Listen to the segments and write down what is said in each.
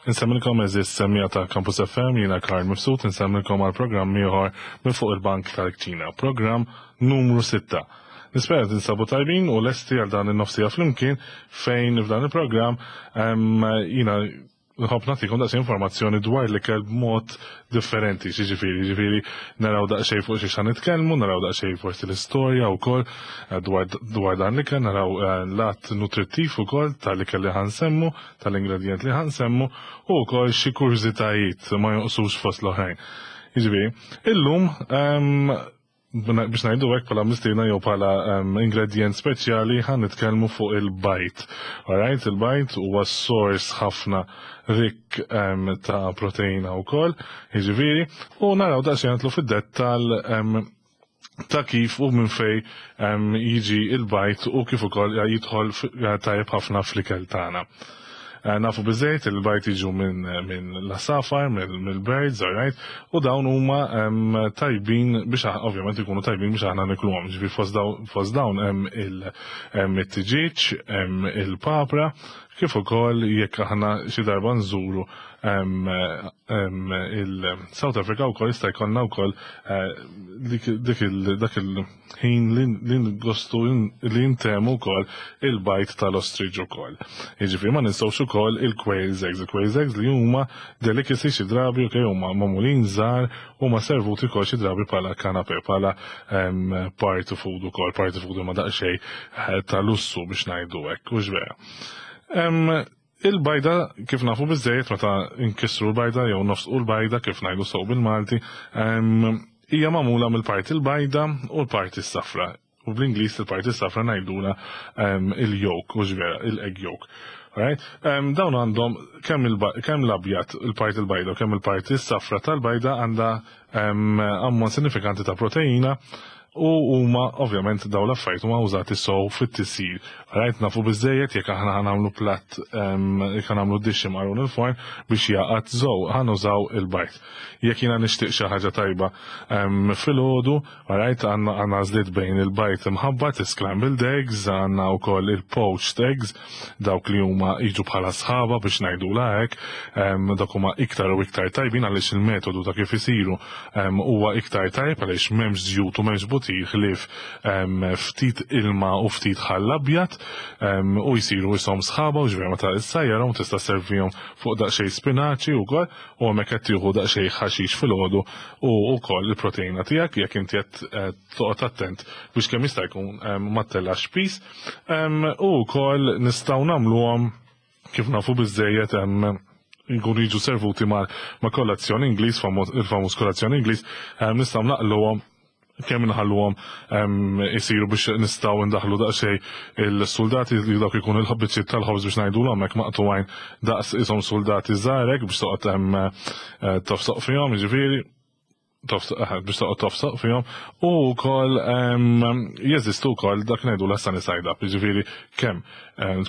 Insemmilkom eżis semmija ta' Campus FM jiena Karl Mifsud insemmilkom għal programm ieħor minn fuq il-bank tal-Kċina, programm numru 6. Nispera tinsabu tajbin u lesti għal dan in-nofsija flimkien fejn f'dan il-programm jiena nħobb nagħtikom daqsxejn informazzjoni dwar l-ikel b'mod differenti, xiġifieri, ġifieri naraw daqsxejn fuq xiex nitkellmu, naraw daqsxejn forsi l-istorja wkoll eh, dwar, dwar dan l-ikel, naraw eh, l-att nutrittiv ukoll tal-ikel li ħansemmu, tal-ingredjent li ħansemmu u wkoll xi kurżitajiet ma jonqsux fost l-oħrajn. Jiġifieri, illum ehm, biex ngħidu hekk bħala mistiedna jew bħala ehm, ingredient speċjali ħan nitkellmu fuq il-bajt. Alright, il-bajt huwa sors ħafna rik ehm, ta' proteina wkoll, jiġifieri, u naraw daqsxejn nitlu fid-dettall ehm, ta' kif u minn fej jiġi il-bajt u kif ukoll jidħol eh, tajjeb ħafna fl-ikel tagħna. Eh, nafu biżejt il-bajt jiġu minn min l-asafar, mill-birds, alright, u dawn huma tajbin biex ovvjament ikunu tajbin biex aħna nikluhom. Ġifi fost dawn hemm it-tiġiġ, hemm il-papra, kif ukoll jekk aħna xi darba nżuru il-South Africa wkoll jista' jkollna wkoll eh, dak il-ħin li ngostu li ntemu wkoll il-bajt tal-ostrich ukoll. Jiġifieri ma ninsewx ukoll il-quails eggs, il-quails eggs li huma delicacy xi drabi u huma magħmulin żgħar huma servuti wkoll xi drabi bħala kanape, bħala party food ukoll, party food huma daqsxejn eh, ta' lussu biex ngħidu hekk, hux vera. Il-bajda kif nafu biżejjed meta nkissru l-bajda jew nofsqu l-bajda kif ngħidu sew bil-Malti, hija magħmula mill-parti l-bajda u l-parti s-safra. U bl-Ingliż il-parti s-safra ngħidula il-yolk, u vera, il-egg yolk. Right? Dawn għandhom kemm l-abjad, il-parti l-bajda u kemm il-parti s-safra tal-bajda għandha ammont sinifikanti ta' proteina u huma ovvjament dawn l-affarijiet huma użati sew fit-tisjir. Rajt nafu biżejjed jekk aħna ħanagħmlu platt jekk ħanagħmlu dixxi maqrun il-forn biex jaqgħad żow ħanużaw il-bajt. Jekk jiena nixtieq xi ħaġa tajba filgħodu, rajt għandna għażliet bejn il-bajt imħabbat, scrambled eggs, għandna wkoll il-poached eggs, dawk li huma jiġu bħala sħaba biex ngħidulha hekk, dak huma iktar u iktar tajbin għaliex il-metodu ta' kif isiru huwa iktar tajjeb għaliex m'hemmx żjut u m'hemmx butir ħlief ftit ilma u ftit ħall abjad u jsiru ishom sħaba u ġifieri meta issajjarhom tista' sservihom fuq daqsxejn spinaċi wkoll u hemmhekk qed tieħu daqsxejn ħaxix filgħodu u wkoll il-proteina tiegħek jekk inti qed eh, toqgħod attent biex kemm jista' jkun ma ttellax piż. U wkoll nistgħu nagħmluhom kif nafu biżejjed jkunu jiġu servuti ma' kolazzjon Ingliż, il-famuż kolazzjon Ingliż, nistgħu naqluhom kemm inħalluhom isiru biex nistgħu ndaħlu daqsxejn il-soldati li dawk ikunu l-ħabbiċċiet tal-ħobż biex ngħidulhom hekk maqtugħin daqs ishom soldati żgħarek biex toqgħod hemm eh, tofsoq fihom, jiġifieri biex toqgħod tofsoq fihom u wkoll jeżistu wkoll dak ngħidu l sunny side up, jiġifieri kemm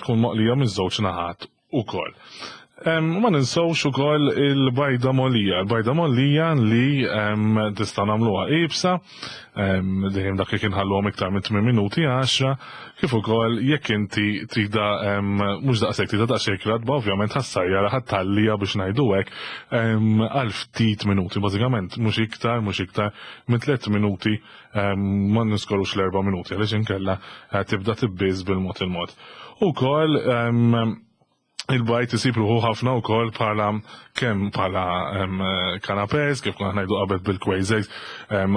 tkun moqlija minn żewġ naħat ukoll. Ma ninsewx ukoll il-bajda mollija, il-bajda mollija li tista' nagħmluha ibsa, dejjem dak li kien ħalluhom iktar minn 8 minuti 10, kif ukoll jekk inti trida mhux daqshekk trida daqsxejn ratba, ovvjament ħassajjara ħattallija biex ngħidu hekk għal ftit minuti, bażikament mhux iktar, mhux iktar minn 3 minuti ma niskorux l-4 minuti għaliex inkella eh, tibda tibbiż bil-mod il-mod. Ukoll il-bajt isib ruħu ħafna wkoll bħala kemm bħala canapés, kif konna ngħidu qabel bil-quails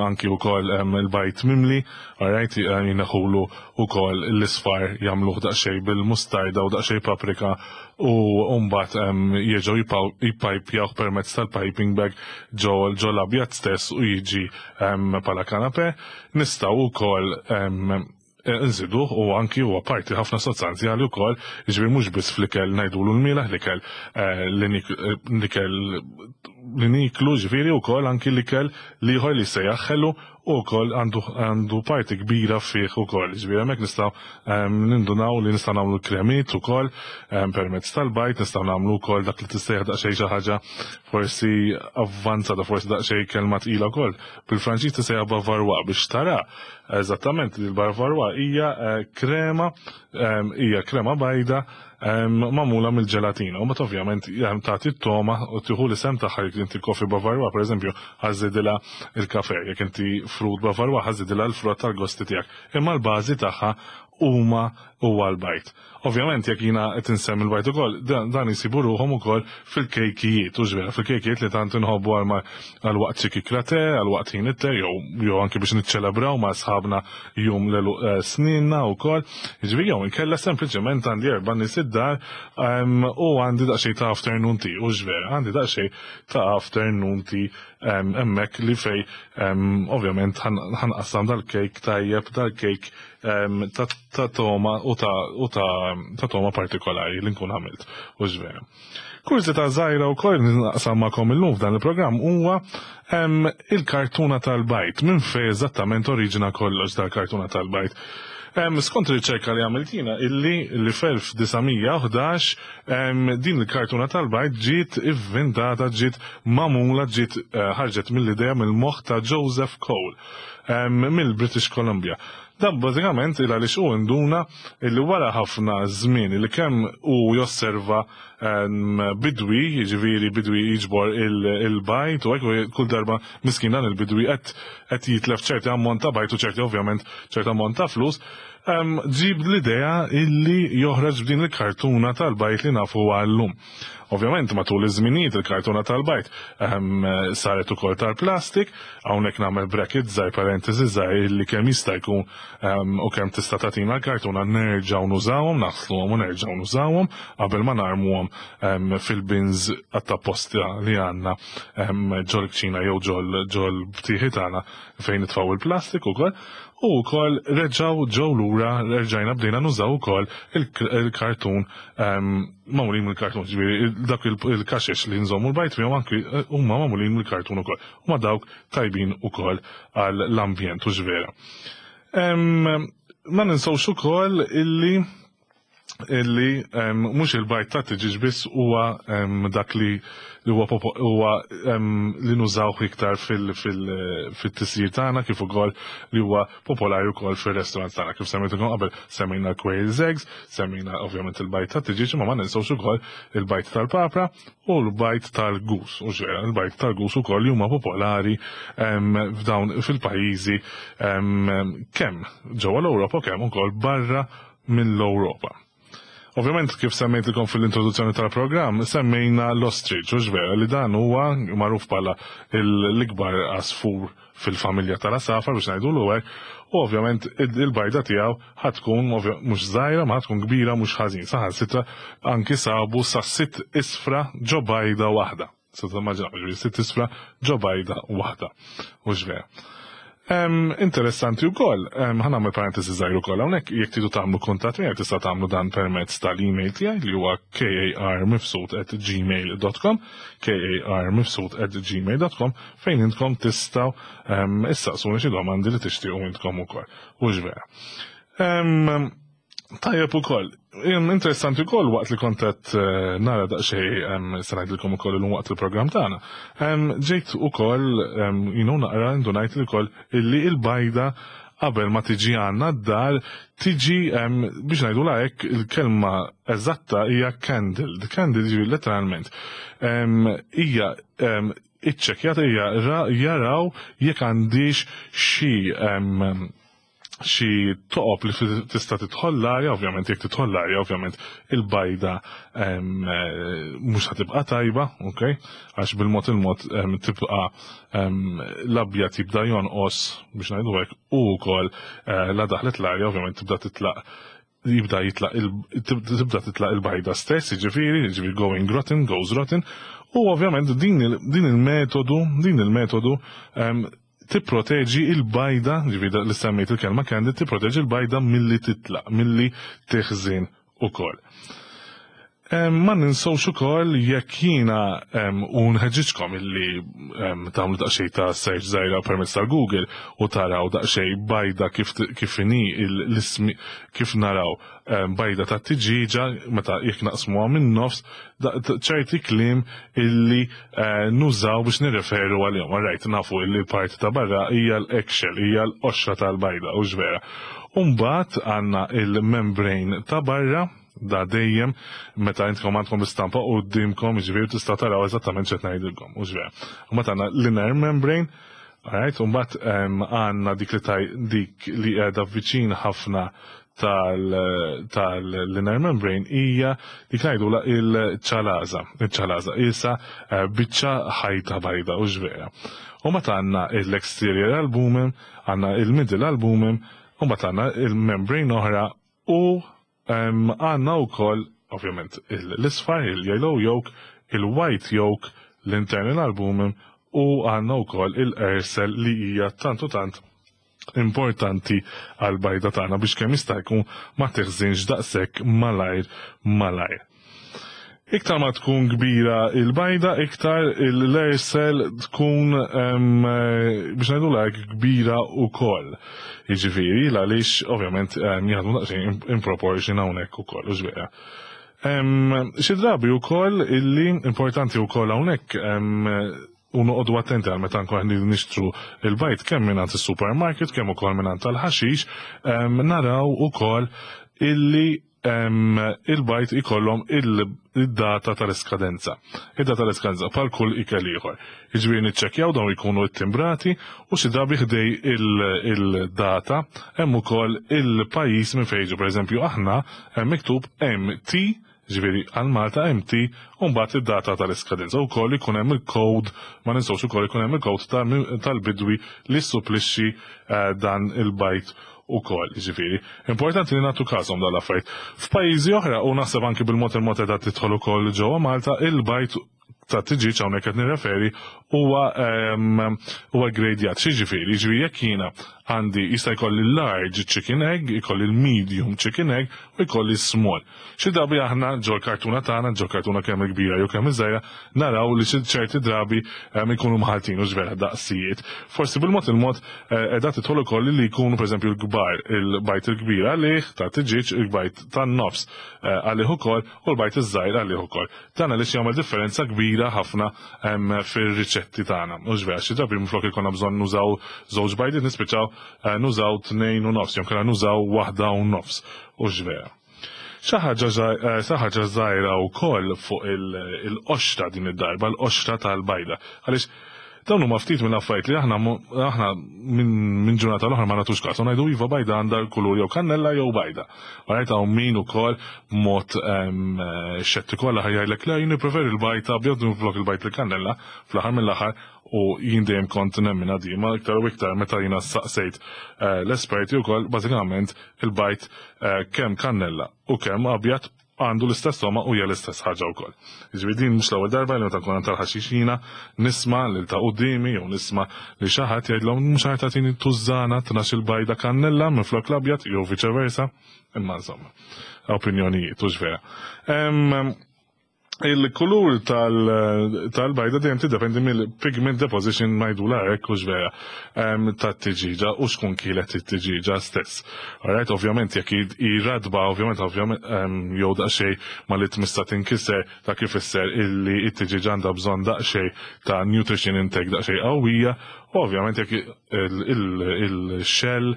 anki wkoll il-bajt mimli, alright, jineħulu wkoll l-isfar jagħmluh daqsxejn bil-mustarda u daqsxejn paprika u mbagħad jerġgħu jippajpjawh permezz tal-piping bag ġo ġo l-abjad stess u jiġi bħala canapé. Nistgħu wkoll nżiduh u anki huwa parti ħafna sostanzjali wkoll, jiġifieri mhux biss fl-ikel ngħidulu l-mielaħ l-ikel l-ikel li niklu ġifieri wkoll anki l-ikel l-ieħor li jsejjaħ ħelu u wkoll għandu parti kbira fih ukoll. Ġifieri hemmhekk nistgħu nindunaw li nistgħu nagħmlu kremiet ukoll permezz tal-bajd, nistgħu nagħmlu wkoll dak li tistejjaħ daqsxejn xi ħaġa forsi avvanzata, forsi daqsxejn kelma tqila wkoll. Bil-Franċiż tistejjaħ bavarois biex tara eżattament li l-bavarois hija eh, krema hija krema bajda magħmula mill-ġelatina. U mbagħad ovvjament tagħti t-toma u tieħu l-isem tagħha jekk inti kofi bavarwa pereżempju ħażidilha il-kafe, jekk inti frut bavarwa ħażidilha l-frott tal-gosti tiegħek. Imma l-bażi tagħha huma huwa l-bajd. Ovvjament jekk jiena qed insemmi l-bajd ukoll, dan jsibu ruħhom ukoll fil-kejkijiet, hux vera, fil-kejkijiet li tant inħobbu għal waqt xi kikra te, għal waqt ħin it-te, jew anki biex niċċelebraw ma' sħabna jum l-għeluq eh, sninna wkoll. Jiġifieri jew inkella sempliċement għandi erba' nies id-dar u għandi daqsxejn ta' afternoon tea, hux vera, għandi daqsxejn ta' afternoon tea hemmhekk li fej ovvjament ħanqassam dal-kejk tajjeb, dal-kejk ta' toma u ta' toma partikolari li nkun għamilt, hux vera. Kurżità żgħira wkoll li naqsam magħkom illum f'dan il-programm huwa il-kartuna tal-bajd. Minn fejn eżattament oriġina kollox dal-kartuna tal-bajd? Skont riċerka li għamilt jiena illi li fl-1911 din il-kartuna tal-bajd ġiet ivvintata, ġiet magħmula, ġiet eh, ħarġet mill-idea mill-moħħ ta' Joseph Cole mill-British Columbia. Dan bażikament il għaliex hu induna illi wara ħafna żmien li kemm hu josserva bidwi, jiġifieri bidwi jiġbor il-bajd u hekk kull darba miskin dan il-bidwi qed qed jitlef ċerti ammont ta' bajd u ċerti ovvjament ċerti ammont ta' flus, ġib l-idea illi joħroġ b'din il-kartuna tal-bajd li nafu għallum. Ovvjament matul iż-żminijiet il-kartuna tal-bajd ehm, saret ukoll tal-plastik, hawnhekk nagħmel bracket żgħir parentesi żgħir li kemm jista' jkun ehm, u kemm tista' tagħtina l-kartuna nerġgħu nużawhom, naħsluhom u nerġgħu nużawhom qabel ma narmuhom ehm, fil-bins għat-tapposta li għandna ġol kċina jew ġol ġol btieħi tagħna fejn nitfgħu il-plastik ukoll u wkoll reġgħu ġew lura reġajna bdejna nużaw ukoll il-kartun magħmulin mill-kartun, ġifieri dak il-kaxex li nżommu l-bajd fihom anki eh, huma magħmulin mill-kartun ukoll. Huma dawk tajbin ukoll għall-ambjent u ġvera. Ma ninsawx ukoll illi illi mhux il-bajd ta' tiġiġ biss huwa dak li li huwa huwa li nużawh iktar fil-tisjir tagħna kif ukoll li huwa popolari wkoll fir-restaurants tagħna. Kif semmejtilkom qabel, semmejna l-quail's eggs, semmejna ovvjament il-bajd tat-tiġieġ, imma ma ninsewx ukoll il-bajd tal-papra u l-bajd tal-gus. U ġera, il-bajd tal-gus ukoll li huma popolari f'dawn fil-pajjiżi kemm ġewwa l-Ewropa kemm ukoll barra mill-Ewropa. Ovvjament kif semmejtilkom fil-introduzzjoni tal-programm, semmejna l-ostrich, u vera li dan huwa magħruf bħala l-ikbar għasfur fil-familja tal-għasafar biex ngħidu l hekk, u ovvjament il-bajda tiegħu ħa tkun mhux żgħira ma tkun kbira mhux ħażin. Saħansitra anki sabu sa sitt isfra ġo bajda waħda. Se timmaġinaw, ġifieri sitt isfra ġo bajda waħda. Hux vera. Interessanti wkoll, ħa nagħmel parentesi żgħir ukoll hawnhekk, jekk tridu tagħmlu kuntatt miegħi tista' tagħmlu dan permezz tal-email tiegħi li huwa karmifsud@gmail.com, karmifsud@gmail.com fejn intkom tistgħu issaqsuni xi domandi li tixtiequ intkom ukoll. Hux vera. Tajjeb ukoll. Interessanti wkoll waqt li kont qed eh, nara daqsxejn se ngħidilkom ukoll illum waqt il-programm tagħna. Ġejt ukoll jinu naqra indunajt ukoll illi il-bajda qabel ma tiġi għandna d-dar tiġi biex ngħidu hekk il-kelma eżatta hija candle. The candle jiġi letteralment hija iċċekkjata hija jaraw jekk għandix xi xi toqob li tista' tidħol l-arja, ovvjament jekk tidħol l-arja, ovvjament il-bajda eh, mhux ħa tibqa' tajba, ok? Għax bil-mod il-mod tibqa' l-abjad jibda jonqos biex ngħidu hekk u wkoll eh, la daħlet l-arja ovvjament tibda titlaq jibda jitlaq tibda titlaq il-bajda stess, jiġifieri, jiġifieri going rotten, goes rotten, u ovvjament din il-metodu, din il-metodu tipproteġi il-bajda, ġifieri li semmejt il-kelma candy, tipproteġi l-bajda milli titlaq, milli tiħżin ukoll. Ma ninsewx ukoll jekk jiena u nħeġġiġkom illi tagħmlu daqsxejn ta' search żgħira permezz tal-Google u taraw daqsxejn bajda kif kif inhi l-ismi kif naraw bajda ta' tiġieġa meta jekk naqsmuha min-nofs ċerti kliem illi nużaw biex nirreferu għalihom. Alright, nafu illi l-parti ta' barra hija l-eggshell, hija l-qoxra tal-bajda, hux vera. U mbagħad għandna il-membrane ta' barra. Da dejjem meta intkom għandkom l-istampa quddiemkom, jiġifieri tista' taraw eżattament x'qed ngħidilkom, hux vera. U mbagħad għandna l-inner membrane, alright, u mbagħad għandna dik li taj dik li qiegħda viċin ħafna tal-inner membrane hija dik ngħidulha il-ċalaża, il-ċalaża qisha biċċa ħajta bajda, hux vera. U mbagħad għandna l-exterior albumin, għandna il-middle albumin, u mbagħad għandna il-membrane oħra u għandna wkoll ovvjament l-isfar, il-yellow yolk, il-white yolk, l-internal albumin u għandna wkoll il-ersel li hija tant u tant importanti għal bajda tagħna biex kemm jista' jkun ma teħżinx daqshekk malajr malajr. Iktar ma tkun kbira il-bajda, iktar l-ersel tkun biex ngħidu hekk kbira wkoll. Jiġifieri għaliex ovvjament jaħdmu daqsxejn in proportion hawnhekk ukoll, hux vera. Xi drabi wkoll illi importanti wkoll hawnhekk u noqogħdu attenti għal meta nkun qed nixtru il-bajd kemm mingħand is-supermarket kemm ukoll mingħand tal-ħaxix, naraw ukoll illi il-bajd ikollhom il-data tal-iskadenza. Id-data tal-iskadenza bħal kull ikel ieħor. Jiġifieri niċċekkjaw dawn jkunu ttimbrati u xi drabi ħdej il-data hemm ukoll il-pajjiż minn fejn jiġu. Pereżempju aħna hemm miktub MT, ġifieri għal Malta MT, u mbagħad id-data tal-iskadenza. Ukoll ikun hemm il-code, ma ninsewx ukoll ikun hemm il-code tal-bidwi li supplixxi dan il-bajd ukoll, ġifieri. Importanti li nagħtu każhom dal-affarijiet. F'pajjiżi oħra, u naħseb anki bil-mod il-mod qiegħda tidħol ukoll ġewwa Malta, il-bajd ta' tiġieġ hawnhekk qed nirreferi huwa gradjat. Xi ġifieri? Ġifieri jekk jiena għandi jista' jkolli large chicken egg, jkolli l-medium chicken egg u jkolli small. Xi drabi aħna ġol kartuna tagħna, ġol kartuna kemm kbira jew kemm iżgħira, naraw li xi ċerti drabi ikunu mħaltin u vera daqsijiet. Forsi bil-mod il-mod qiegħda tidħol ukoll li jkunu pereżempju l-kbar, il-bajd il-kbir għalih ta' tiġieġ, il-bajd tan-nofs għalih ukoll u l-bajd iż-żgħir għalih ukoll. Dan għaliex jagħmel differenza kbira ħafna fir-riċetti tagħna. Mhux vera, xi drabi minflok ikollna bżonn nużaw żewġ bajdiet nispiċċaw nużaw 2.5, jew kellna nużaw 1.5. Hux vera. Xi ħaġa żgħira wkoll fuq il-qoxra din id-darba, l-qoxra tal-bajda. Għaliex dawn huma ftit minn affarijiet li aħna minn ġurnata l-oħra ma nagħtux każ. Ngħidu iva bajda għandha l-kulur jew kannella jew bajda. Għarajt hawn min ukoll b'mod xettiku għal jgħidlek le jien nippreferi l-bajd abjad minflok il-bajd il-kannella fl-aħħar mill-aħħar u jien dejjem kont nemmina di, ma iktar u iktar meta jiena saqsejt l-esperti wkoll bażikament il-bajd kemm kannella u kemm abjad għandu l-istess togħma u hija l-istess ħaġa wkoll. Jiġifieri din mhux l-ewwel darba li meta nkun tal-ħaxixina nisma' lil ta' quddiemi jew nisma' li xi ħadd jgħidlhom mhux ħa tagħtini tużżana 12 il-bajda kannella minflok l-abjad jew viċe versa, imma insomma, opinjonijiet hux vera. Il-kulur tal-bajda dejjem tiddependi mill-pigment deposition ngħidulha hekk hux vera tat-tiġiġa u xkun kielet it-tiġiġa stess. Alright, ovvjament jekk iradba, ovvjament jew daqsxejn ma li tmissa tinkiser ta' kif ifisser illi it-tiġiġa għandha bżonn daqsxejn ta' nutrition intake daqsxejn qawwija, u ovvjament jekk il-shell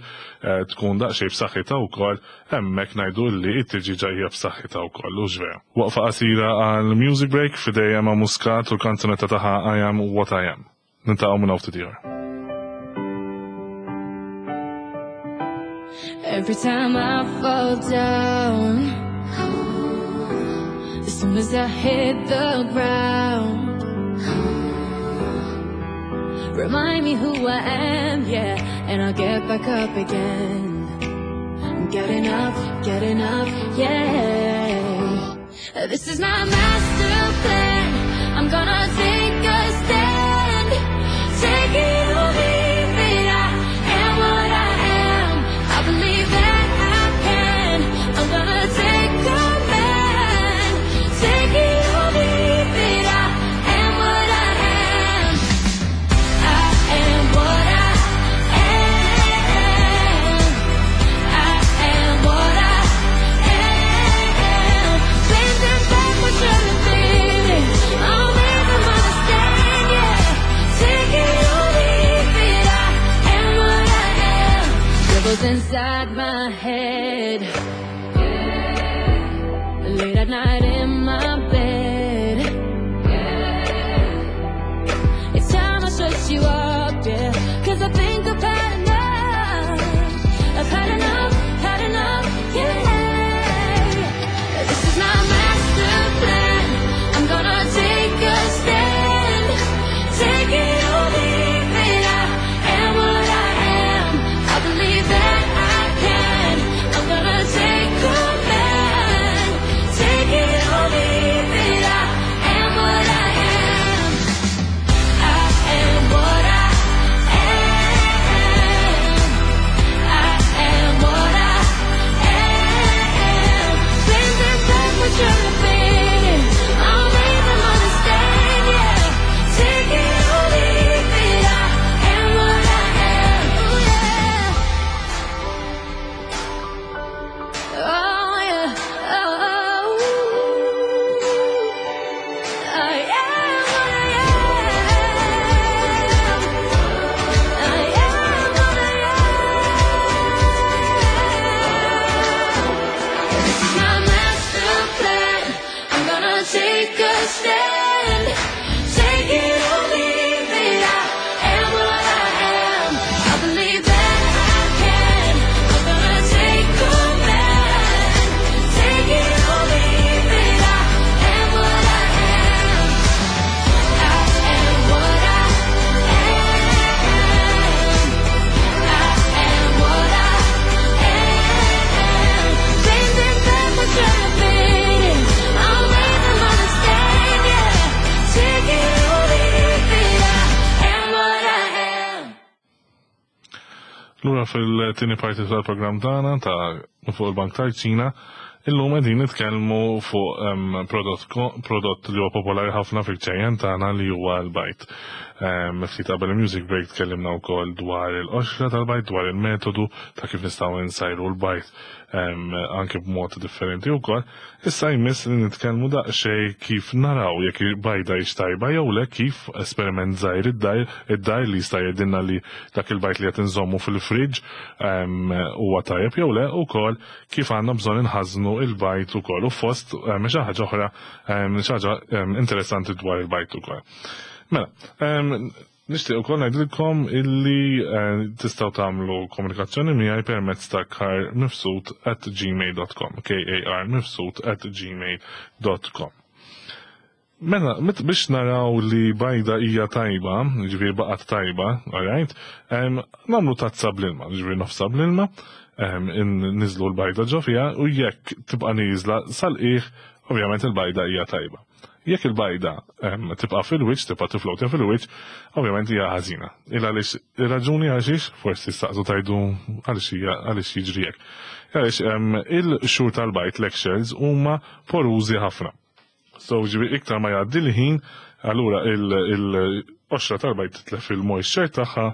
tkun daqsxejn b'saħħitha wkoll, hemmhekk ngħidu li it-tiġiġa hija b'saħħitha wkoll, hux vera. Waqfa qasira għal music break f'idejja ma' Muscat u l-kanzunetta tagħha I Am What I Am. Niltaqgħu minn hawn ftit ieħor. Every time I fall down, as soon as I hit the ground, remind me who I am, yeah, and I'll get back up again. I'm getting up, yeah. This is my master plan. I'm gonna take a stand, take it or leave it. I am what I am. I believe that I can. I'm gonna take command, take inside my head. Late at night in my bed. It's time I shut you up, yeah. 'Cause I think I've had enough. I've had enough, had enough, yeah. This is my master plan. I'm gonna take a stand. Take it or leave it. I am what I am. I believe that I can. I'm gonna take command. Take it or leave it. I am what I am. I am what I am. I am what I am. Things that back what you're thinking. I'll make them understand, yeah. Take it or leave it. I am what I am. Ooh, yeah. Oh, yeah. Oh, I am what I am. I am what I am. This is my master plan. I'm gonna take a stand. Take it or leave it. I am what I am. I believe that I can. I'm gonna take command. Take it or leave it. I am what I am. I am what I am. I am what I am. Things that back what you're thinking. I'll make them understand, yeah. Take it or leave it. I am what I am. Lura fil-tieni parti tal-programm tagħna ta' fuq il-Bank tal-Kċina, illum qegħdin nitkellmu fuq prodott li huwa popolari ħafna fil-kċejjen tagħna li huwa l-bajd. Ftit qabel il-music break tkellimna wkoll dwar il-qoxra tal-bajd, dwar il-metodu ta' kif nistgħu nsajru l-bajd anke b'mod differenti wkoll. Issa jmiss li nitkellmu daqsxejn kif naraw jekk il-bajda hix tajba jew le, kif esperiment żgħir id-dar li jista' jgħidilna li dak il-bajd li qed inżommu fil-friġġ huwa tajjeb jew le, ukoll kif għandna bżonn inħażnu il-bajd ukoll u fost xi ħaġa oħra, xi ħaġa interessanti dwar il-bajd ukoll. Mela, nixtieq ukoll ngħidilkom illi tistgħu tagħmlu komunikazzjoni miegħi permezz ta' karmifsud@gmail.com, karmifsud@gmail.com. Mela, biex naraw li bajda hija tajba, ġifieri baqgħet tajba, alright, nagħmlu tazza bl-ilma, ġifieri nofsa bl-ilma, niżlu l-bajda ġo fiha u jekk tibqa' nieżla sal-qiegħ, ovvjament il-bajda hija tajba. Jekk il-bajda tibqa' fil-wiċċ, tibqa' tiflowtja fil-wiċċ, ovvjament hija ħażina. Il għaliex ir-raġuni għaliex, forsi staqsu tajdu għaliex hija għaliex jiġri hekk. Għaliex il-qxur tal-bajd, l-eggshells, huma porużi ħafna. So ġifieri iktar ma jgħaddi l-ħin, allura il-qoxra tal-bajd titlef il-moisture tagħha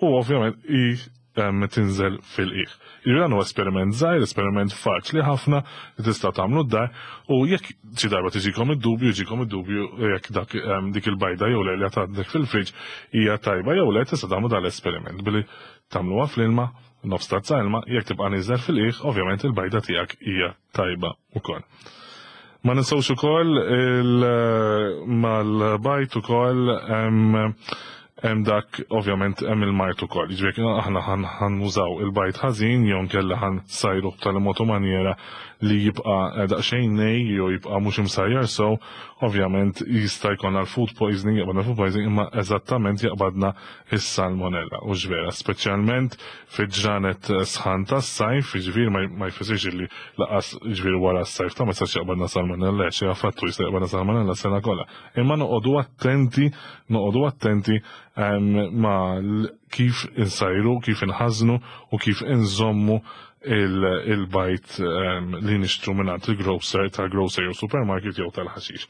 u ovvjament i tinżel fil-qiegħ. Ġifieri dan huwa esperiment żgħir, esperiment faċli ħafna li tista' tagħmlu d-dar u jekk xi darba tiġikom id-dubju, jiġikom id-dubju jekk dak dik il-bajda jew le li għandek fil-friġġ hija tajba jew le, tista' tagħmlu dal-esperiment billi tagħmluha fl-ilma, nofs tazza ilma, jekk tibqa' nieżel fil-qiegħ, ovvjament il-bajda tiegħek hija tajba ukoll. Ma ninsewx ukoll mal-bajd ukoll hemm dak ovvjament hemm il-mard ukoll. Jiġifieri aħna ħa nużaw il-bajd ħażin jew nkella ħa nsajru b'tali mod u maniera li jibqa' daqsxejn nej jew jibqa' mhux imsajjar sew, ovvjament jista' jkollna l-food poisoning, jaqbadna food poisoning, imma eżattament jaqbadna is-salmonella. U vera, speċjalment fi ġranet sħan tas-sajf, jiġifieri ma jfissirx li laqas jiġifieri wara s-sajf ta' ma jistax jaqbadna salmonella, xi affattu jista' jaqbadna salmonella sena kollha. Imma noqogħdu attenti, noqogħdu attenti ma kif insajru, kif inħażnu u kif inżommu il-bajd li nixtru mingħand il-grocer, tal-grocer jew supermarket jew tal-ħaxix.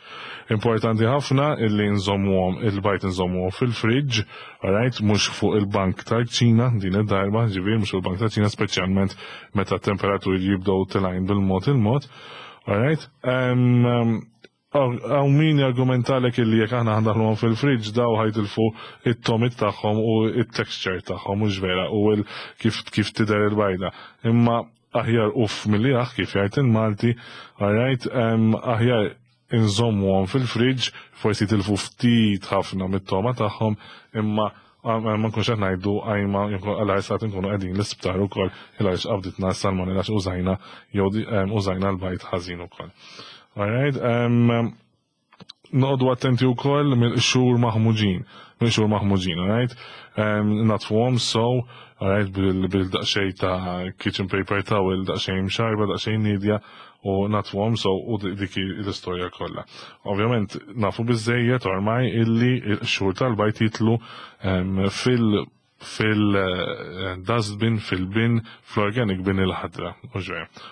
Importanti ħafna illi nżommuhom il-bajd, nżommuhom fil-fridge, alright, mhux fuq il-bank tal-kċina din id-darba, ġifieri mhux fuq il-bank tal-kċina, speċjalment meta t-temperaturi jibdew tilgħin bil-mod il-mod, alright. Hawn min jargumentalek illi jekk aħna ħa ndaħħluhom fil-fridge daw ħa jitilfu it-togħmiet tagħhom u it-texture tagħhom, mhux vera, u kif tidher il-bajda. Imma aħjar uff milli aħ, kif jgħid il-Malti, alright, aħjar inżommuhom fil-fridge, forsi jitilfu ftit ħafna mit-togħma tagħhom, imma ma nkunx qed ngħidu għajma għal sat nkunu qegħdin l-isptar ukoll il għaliex qabditna s-salmonella użajna jew użajna l-bajd ħażin ukoll. Alright, noqogħdu attenti wkoll mill-qxur maħmuġin, mill-qxur maħmuġin, alright? Naddfuhom so, alright, bil-daqsxejn ta' kitchen paper towel, daqsxejn mxarba, daqsxejn nidja, u naddfuhom so u dik l-istorja kollha. Ovvjament nafu biżejjed ormai illi l-qxur tal-bajd jitlu fil-dustbin, fil-bin, fl-organic bin il-ħadra.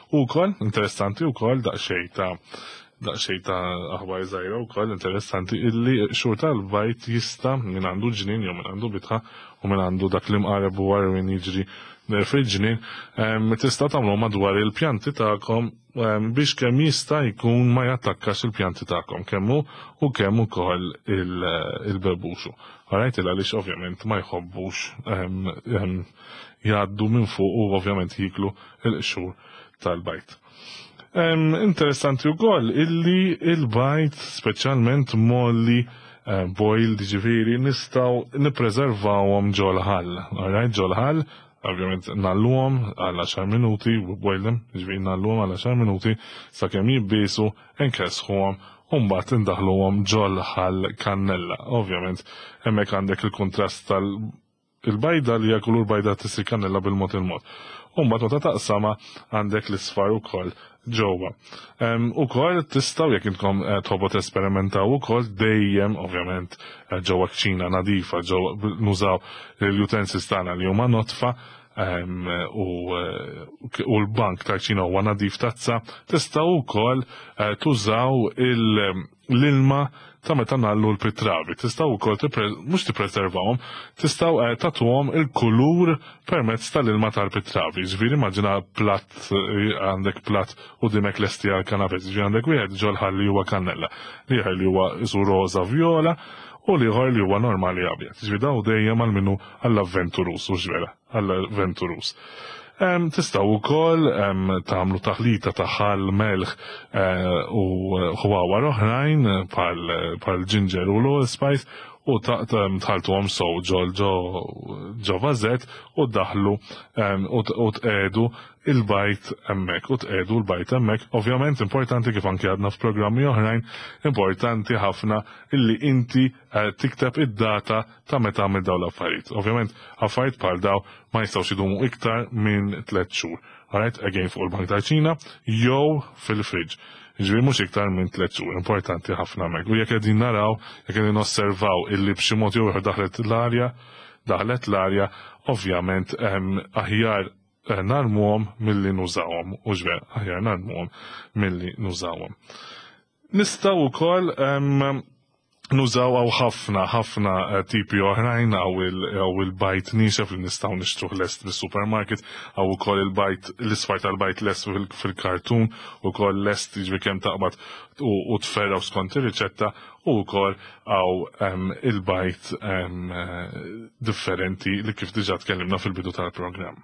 U wkoll, interessanti u wkoll daqsxejn ta' aħbar żgħira wkoll interessanti illi qxur tal-bajd jista' min għandu ġnien jew min għandu bitħa u min għandu dak li mqareb u għarwin jiġri fil-ġnien, tista' tagħmlu madwar il-pjanti tagħkom biex kemm jista' jkun ma jattakkax il-pjanti tagħkom kemm hu u kemm ukoll il-bebuxu. Alright, għaliex ovvjament ma jħobbux jgħaddu minn fuq u ovvjament jiklu il-qxur tal-bajd. Interessanti wkoll illi il-bajd speċjalment mgħolli, boiled, ġifieri, nistgħu nippreservawhom ġol-ħall. Alright, ġol-ħall, ovvjament ngħolluhom għal 10 minuti, boil them, ġifieri ngħolluhom għal 10 minuti sakemm jibbisu, nkessħuhom u mbagħad indaħluhom ġol-ħall kannella. Ovvjament hemmhekk għandek il-kontrast tal il-bajda li hija kulur bajda tisir kannella bil-mod il-mod. U mbagħad meta taqsama għandek l-isfar ukoll ġewwa. Ukoll tistgħu, jekk intkom tħobbu tesperimentaw ukoll dejjem ovvjament ġewwa kċina nadifa, ġewwa nużaw l-utensils tagħna li huma nodfa u l-bank tal-kċina huwa nadif tazza, tistgħu wkoll tużaw l-ilma ta' meta ngħallu l-pitravi. Tistgħu wkoll mhux tippreservawhom, tistgħu tagħtuhom il-kulur permezz tal-ilma tal-pitravi. Ġifieri immaġina platt, għandek platt u dimek lesti għal canapés. Ġifieri għandek wieħed ġol-ħall li huwa kannella, ieħor li huwa isu roża vjola u l-ieħor li huwa normali abjad. Ġifieri daw dejjem għal minnu għall-avventurus, u vera, għall-avventurus. Tistgħu wkoll tagħmlu taħlita ta' ħall, melħ u ħwawar oħrajn bħal ginger u l-allspice u tħaltuhom sew ġol ġo vażett u daħlu u tqegħdu il-bajd hemmhekk u tqegħdu l-bajd hemmhekk. Ovvjament importanti, kif anke għadna f'programmi oħrajn, importanti ħafna illi inti tikteb id-data ta' meta għamil daw l-affarijiet. Ovvjament affarijiet bħal daw ma jistgħux idumu iktar minn 3 xhur. Alright, again fuq il-bank tal-kċina jew fil-fridge. Ġifieri mhux iktar minn 3 xhur, importanti ħafna hemmhekk. U jekk qegħdin naraw, jekk qegħdin osservaw illi b'xi mod jew ieħor daħlet l-arja, ovvjament aħjar narmuhom milli nużawhom, u ġver, aħjar narmuhom milli nużawhom. Nistgħu wkoll nużaw għaw ħafna, ħafna tipi oħrajn, għaw il-bajd niexef li nistgħu nixtruh lest mis-supermarket, għaw ukoll il-bajd, l-isfar tal-bajd lest fil-kartun, ukoll lest, jiġri kemm taqbad u tferraw skont ir-riċetta, u wkoll għaw il-bajd differenti li kif diġà tkellimna fil-bidu tal-programm.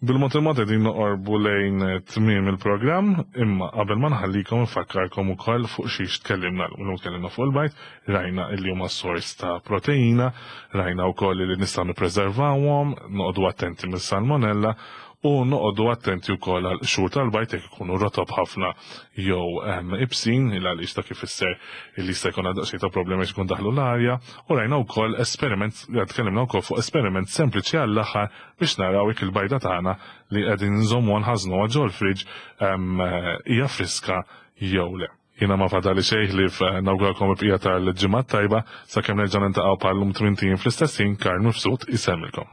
Bil-mod il-mod qegħdin noqorbu lejn tmiem il-programm, imma qabel ma nħallikom infakkarkom ukoll fuq xiex tkellimna l Tkellimna fuq il-bajd, rajna illi huma sors ta' proteina, rajna wkoll li nistgħu nippreservawhom, noqogħdu attenti mis-salmonella u noqogħdu attenti wkoll għal qxur tal-bajd jekk ikunu rotob ħafna jew ibsin, il għaliex ta' kif ifisser illi jista' jkun daqsxejn ta' problemi jkun daħlu l-arja, u rajna wkoll esperiment, tkellimna wkoll fuq esperiment sempliċi għall-aħħar biex naraw jekk il-bajda tagħna li qegħdin nżommu nħażnu ġol-fridge hija friska jew le. Jiena ma fadali xejn ħlief nawguralkom il-bqija tal-ġimgħa tajba sakemm nerġa' niltaqgħu bħal-lum 80 fl-istess ħin. Karl Mifsud isellmilkom.